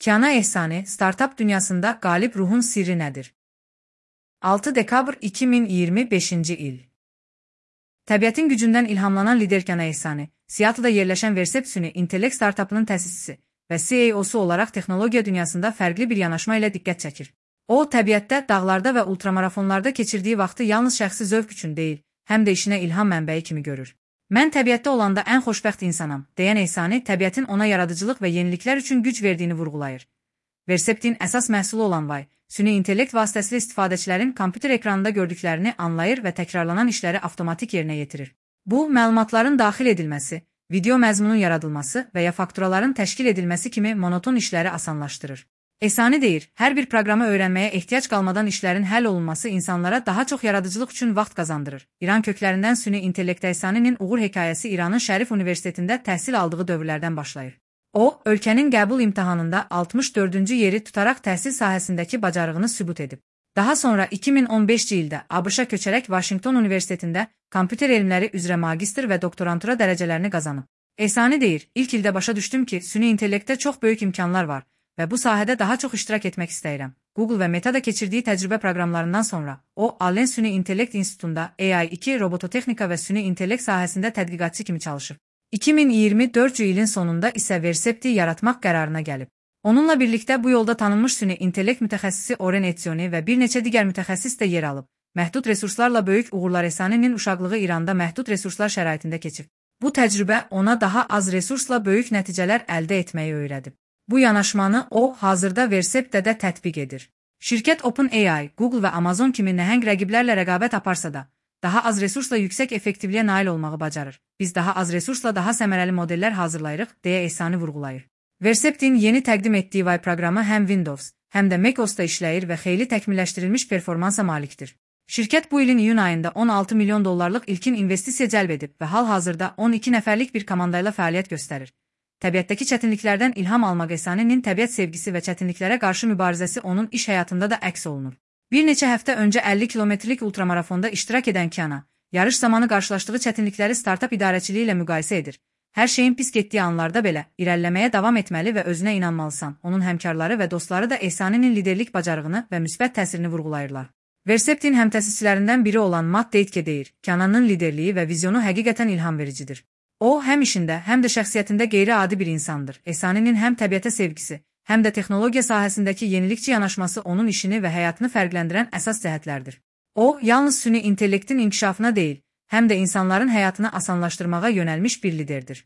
Kiana Ehsani, startup dünyasında qalib ruhun sirri nədir? 6 dekabr 2025-ci il. Təbiətin gücündən ilhamlanan lider Kiana Ehsani, Seattle'da yerləşən Versept süni intellekt startupının təsisçisi və CEO-su olaraq texnologiya dünyasında fərqli bir yanaşma ilə diqqət çəkir. O, təbiətdə, dağlarda və ultramarafonlarda keçirdiyi vaxtı yalnız şəxsi zövq üçün deyil, həm də işinə ilham mənbəyi kimi görür. Mən təbiətdə olanda ən xoşbəxt insanam, deyən Ehsani, təbiətin ona yaradıcılıq və yeniliklər üçün güc verdiyini vurğulayır. Verseptin əsas məhsulu olan Vay, süni intellekt vasitəsilə istifadəçilərin kompüter ekranında gördüklərini anlayır və təkrarlanan işləri avtomatik yerinə yetirir. Bu, məlumatların daxil edilməsi, video məzmunun yaradılması və ya fakturaların təşkil edilməsi kimi monoton işləri asanlaşdırır. Ehsani deyir, hər bir proqramı öyrənməyə ehtiyac qalmadan işlərin həll olunması insanlara daha çox yaradıcılıq üçün vaxt qazandırır. İran köklərindən süni intellekt Ehsani'nin uğur hekayəsi İranın Şərif Universitetində təhsil aldığı dövrlərdən başlayır. O, ölkənin qəbul imtahanında 64-cü yeri tutaraq təhsil sahəsindəki bacarığını sübut edib. Daha sonra 2015-ci ildə ABŞ-a köçərək Washington Universitetində kompüter elmləri üzrə magistr və doktorantura dərəcələrini qazanıb. Ehsani deyir, ilk ildə başa düşdüm ki, süni intellektdə çox böyük imkanlar var və bu sahədə daha çox iştirak etmək istəyirəm. Google və Meta-da keçirdiyi təcrübə proqramlarından sonra, o, Allen Süni İntellekt İnstitutunda AI2 robototexnika və süni intellekt sahəsində tədqiqatçı kimi çalışıb. 2024-cü ilin sonunda isə Versepti yaratmaq qərarına gəlib. Onunla birlikdə bu yolda tanınmış süni intellekt mütəxəssisi Oren Etzioni və bir neçə digər mütəxəssis də yer alıb. Məhdud resurslarla böyük uğurlar Ehsani'nin uşaqlığı İranda məhdud resurslar şəraitində keçib. Bu təcrübə ona daha az resursla böyük nəticələr əldə etməyi öyrədib. Bu yanaşmanı o, hazırda Verseptdə də tətbiq edir. Şirkət OpenAI, Google və Amazon kimi nəhəng rəqiblərlə rəqabət aparsa da, daha az resursla yüksək effektivliyə nail olmağı bacarır. Biz daha az resursla daha səmərəli modellər hazırlayırıq, deyə Ehsani vurğulayır. Verseptin yeni təqdim etdiyi Vay proqramı həm Windows, həm də macOS-da işləyir və xeyli təkmilləşdirilmiş performansa malikdir. Şirkət bu ilin iyun ayında 16 milyon dollarlıq ilkin investisiya cəlb edib və hal-hazırda 12 nəfərlik bir komandayla fəaliyyət göstərir. Təbiətdəki çətinliklərdən ilham almaq Ehsani'nin təbiət sevgisi və çətinliklərə qarşı mübarizəsi onun iş həyatında da əks olunur. Bir neçə həftə öncə 50 kilometrlik ultramarafonda iştirak edən Kiana, yarış zamanı qarşılaşdığı çətinlikləri startup idarəçiliyi ilə müqayisə edir. Hər şeyin pis getdiyi anlarda belə irəliləməyə davam etməli və özünə inanmalısan. Onun həmkarları və dostları da Ehsani'nin liderlik bacarığını və müsbət təsirini vurğulayırlar. Verseptin həmtəsisçilərindən biri olan Matt Deitke deyir, Kiana'nın liderliyi və vizyonu həqiqətən ilham vericidir. O, həm işində, həm də şəxsiyyətində qeyri-adi bir insandır. Ehsani'nin həm təbiətə sevgisi, həm də texnologiya sahəsindəki yenilikçi yanaşması onun işini və həyatını fərqləndirən əsas cəhətlərdir. O, yalnız süni intellektin inkişafına deyil, həm də insanların həyatını asanlaşdırmağa yönəlmiş bir liderdir.